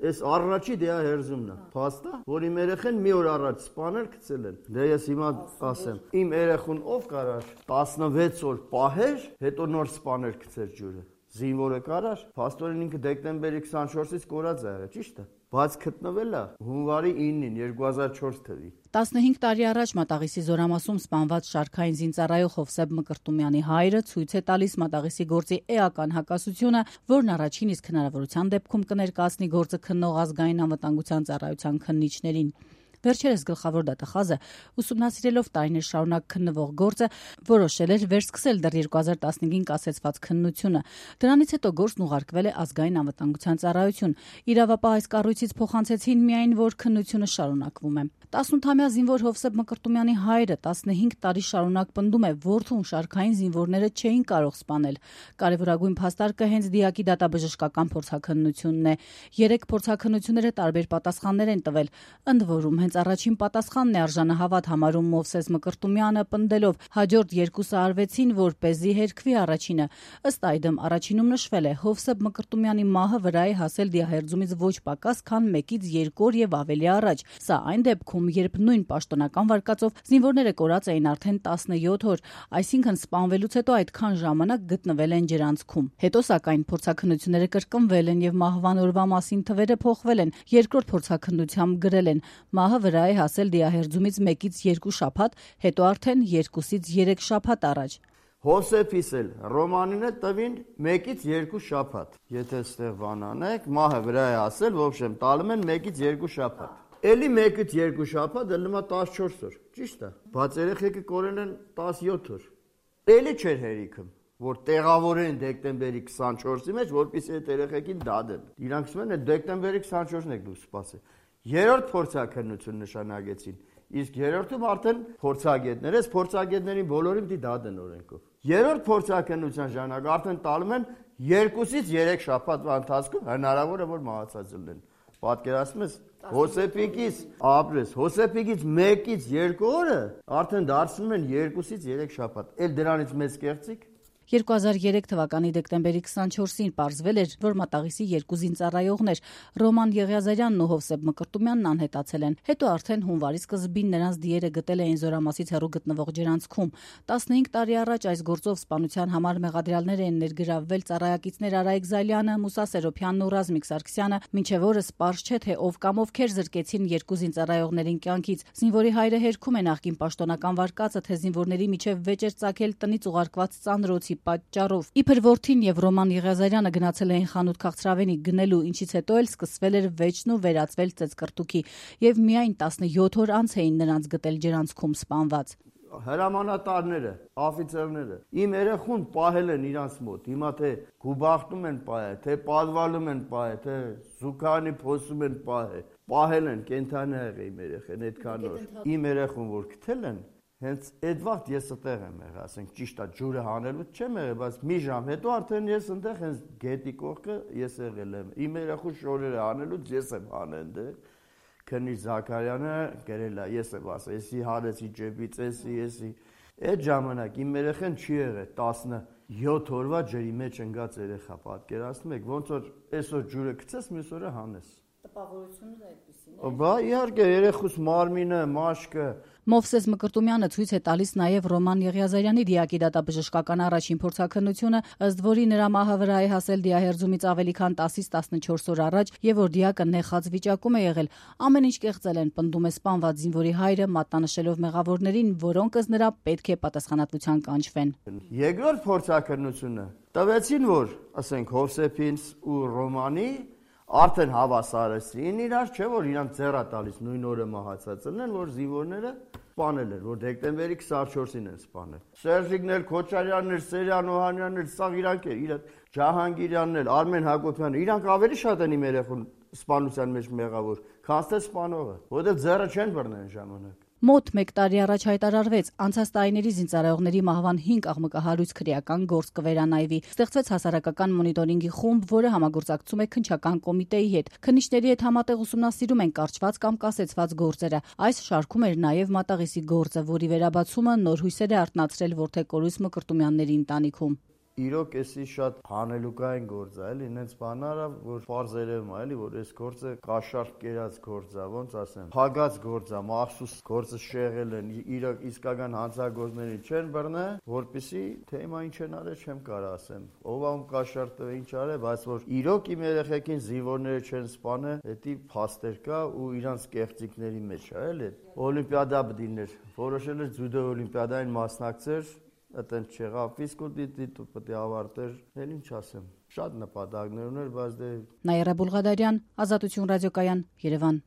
Այս առաջի դեա հերզումն է, փաստա, որ իմ երեխեն մի օր առաջ սպանել գցել են։ Դե ես հիմա ասեմ, իմ երեխուն ով կարար 16 օր պահեր, հետո նոր սպանել գցել ջուրը։ Զինվորը կարար, փաստորեն ինքը դեկտեմբերի 24-ից կորած է եղել, ճիշտ է։ Բայց գտնվել է հունվարի 9-ին 2004 թվականին։ 15 տարի առաջ Մատաղիսի Զորամասում սպանված շարքային զինծառայող Հովսեփ Մկրտումյանի հայրը ցույց է տալիս Մատաղիսի գործի էական հակասությունը, որն առաջին իսկ հնարավորության դեպքում կներկայացնի գործը քննող ազգային անվտանգության ծառայության քննիչներին։ Վերջերս գլխավոր դատախազը ուսումնասիրելով տարիներ շարունակ քննվող գործը որոշել էր վերսկսել դեռ 2015-ին կասեցված քննությունը։ Դրանից հետո գործն ուղարկվել է ազգային անվտանգության ծառայություն։ Իրավապահ այս կառույցից փոխանցեցին միայն, որ քննությունը շարունակվում է։ 18-ամյա զինվոր Հովսեփ Մկրտումյանի հայրը 15 տարի շարունակ պնդում է, որդուն շարքային զինվորները չէին կարող սպանել։ Կարևորագույն փաստարկը հենց դիակի դատաբժշկական փորձաքննությունն է։ 3 փորձաքննությունները տարբեր պատասխաններ են տվել։ Ընդ որում հենց առաջին պատասխանն է արժանահավատ համարում Մովսես Մկրտումյանը, պնդելով հաջորդ երկուսը արվեցին, որպեսզի հերքվի առաջինը։ Ըստ այդմ առաջինում նշվել է Հովսեփ Մկրտումյանի մահը վրա է հասել դիահերձումից ոչ պակաս, քան 1-ից 2 օր եւ ավելի առաջ։ Սա այն դեպքում, երբ նույն պաշտոնական վարկածով զինվորները կորած էին արդեն 17 օր, այսինքն սպանվելուց հետո այդքան ժամանակ գտնվել են ջրանցքում։ Հետո սակայն փորձաքննությունները կրկնվել են եւ մահվան օրվա մասին թվերը փոխվել են։ Երկրորդ փորձաքննությամբ գրել են. մահը վրա է հասել դիահերձումից 1-ից 2 շաբաթ, հետո արդեն 2-ից 3 շաբաթ առաջ։ Հոսեփիս էլ Ռոմանինը տվին 1-ից 2 շաբաթ։ Եթե ստեղ բանանեք, մահը վրա է հասել, ոբշեմ, տալում են 1-ից 2 շաբաթ։ Էլի 1-ից 2 շաբաթ դնում է 14 օր, ճիշտ է։ Բայց երեխեքը կորել են 17 օր։ Էլի չէր հերիքում, որ տեղավորեն դեկտեմբերի 24-ի մեջ, որպեսզի այդ երեխեքին դադեն։ Իրանք ասում են, այդ դեկտեմբերի 24-ն եք դու սպասել։ Երրորդ փորձաքննություն նշանակեցին, իսկ երրորդում արդեն փորձագետներ, այս փորձագետներին բոլորին դի դադեն օրենքով։ Երրորդ փորձաքննության ժամանակ արդեն տալում են 2-ից 3 շաբաթվա ընթացքում հնարավոր է որ մահացած լինեն։ Պատկերացնում ես, Հոսեփիկից ապրես, Հոսեփիկից 1-ից 2 օրը արդեն դարձնում են 2-ից 3 շաբաթ։ Էլ դրանից մեծ կեղծիք։ 2003 թվականի դեկտեմբերի 24-ին պարզվել էր, որ Մատաղիսի երկու զինծառայողներ Ռոման Եղիազարյանն ու Հովսեփ Մկրտումյանն անհետացել են։ Հետո արդեն հունվարի սկզբին նրանց դիերը գտել էին Զորամասից հեռու գտնվող ջրանցքում։ 15 տարի առաջ այս գործով սպանության համար մեղադրյալներ են ներգրավվել ծառայակիցներ Արայիկ Զալյանը, Մուսա Սերոփյանն ու Ռազմիկ Սարգսյանը, մինչև օրս պարզ չէ, թե ով կամ ովքեր զրկեցին երկու զինծառայողներին կյանքից։ Զինվորի հայրը հերքում է նախկին պաշտոնական վարկածը, թե զինվորների միջև վեճ էր ծագել տնից ուղարկված ծանրոցի պատճառով։ Իբր որդին եւ Ռոման Եղիազարյանը գնացել էին խանութ քաղցրավենի գնելու, ինչից հետո էլ սկսվել էր վեճն ու վերածվել ծեծկռտուքի, եւ միայն 17 օր անց էին նրանց գտել ջրանցքում սպանված։ Հրամանատարները, օֆիցերները իմ երեխուն պահել են իրանց մոտ։ Հիմա թե գուբախտում են պահել, թե պատվալում են պահել, թե զուգանի փոսում են պահել են կենթանի եղել իմ երեխեն այդքան օր։ Իմ երեխուն որ գտել են, հենց այդ վաղ ես այդտեղ եմ եղել, ասենք ճիշտ է, ջուրը հանելուց չեմ եղել, բայց մի ժամ հետո արդեն ես այնտեղ հենց գետի կողքը ես եղել եմ։ Իմ երեխու շորերը հանելուց ես եմ հանել այնտեղ։ Քննիչ Զաքարյանը գրել է, ես եմ ասել, էսի հարեցի ջեբից, էսի։ Այդ ժամանակ իմ երեխան չի եղել 17 օրվա ջրի մեջ ընկած երեխա, պատկերացնում եք, ոնց որ այսօր ջուրը գցես, մյուս օրը հանես։ Տպավորությունն է այդպեսին է։ Բա իհարկե երեխուս մարմինը, մաշկը։ Մովսես Մկրտումյանը ցույց է տալիս նաև Ռոման Եղիազարյանի դիակի դատաբժշկական առաջին փորձաքննությունը, ըստ որի նրա մահը վրա է հասել դիահերձումից ավելի քան 10-ից 14 օր առաջ եւ որ դիակը նեխած վիճակում է եղել։ Ամեն ինչ կեղծել են, պնդում է սպանված զինվորի հայրը, մատնանշելով մեղավորներին, որոնք ըստ նրա պետք է պատասխանատվության կանչվեն։ Երկրորդ փորձաքննությունը տվեցին, որ ասենք Հովսեփին ու Ռոմանի արդեն հավասարեցին իրար, չէ՞ որ իրանք ձեռա տալիս նույն օրը մահացած են, որ զինվորները սպանել են, որ դեկտեմբերի 24-ին են սպանել։ Սերժիկն էլ, Քոչարյանն էլ, Սերյան Օհանյանն էլ, սա իրանք է, Ջահանգիրյանն էլ, Արմեն Հակոբյանն, իրանք ավելի շատ են իմ երեխուն սպանության մեջ մեղավոր, քան թե սպանողը, որովհետև ձեռը չեն բռնել ժամանակ։ Մոտ 1 տարի առաջ հայտարարվեց անցած տարիների զինծառայողների մահվան 5 աղմկահարույց քրեական գործ կվերանայվի։ Ստեղծվեց հասարակական մոնիտորինգի խումբ, որը համագործակցում է քննչական կոմիտեի հետ։ Քննիչների հետ համատեղ ուսումնասիրում են կարճված կամ կասեցված գործերը։ Այս շարքում էր նաև Մատաղիսի գործը, որի վերաբացումը նոր հույսեր է արթնացրել Որդեգորույս Մկրտումյանների ընտանիքում։ իրոք էսի շատ հանելուկային գործ է, էլի, ինձ բանարա, որ պարզ երևում է, էլի, որ այս գործը կաշառք կերած գործ է, ոնց ասեմ, փագած գործ է, մախսուս գործը շեղել են, իրոք իսկական հանցագործներին չեն բռնե, որպեսզի թեմա ինչ են արել, չեմ կարող ասեմ։ Ով ում կաշառք տվե ինչ արել, բայց որ իրոք իմ երեխեքին զինվորները չեն սպանել, դա փաստեր կա ու իրանց կեղծիքների մեջ է, էլի։ Օլիմպիադա բդիներ, որոշել էր ջյուդո օլիմպիադային մասնակցեր, այդտեղ չեղավ, ֆիզկուլտուրի պետք է ավարտեր, էլ ինչ ասեմ։ Շատ նպատակներ ուներ, բայց դե Նաիրա Բուլղադարյան, Ազատություն ռադիոկայան, Երևան։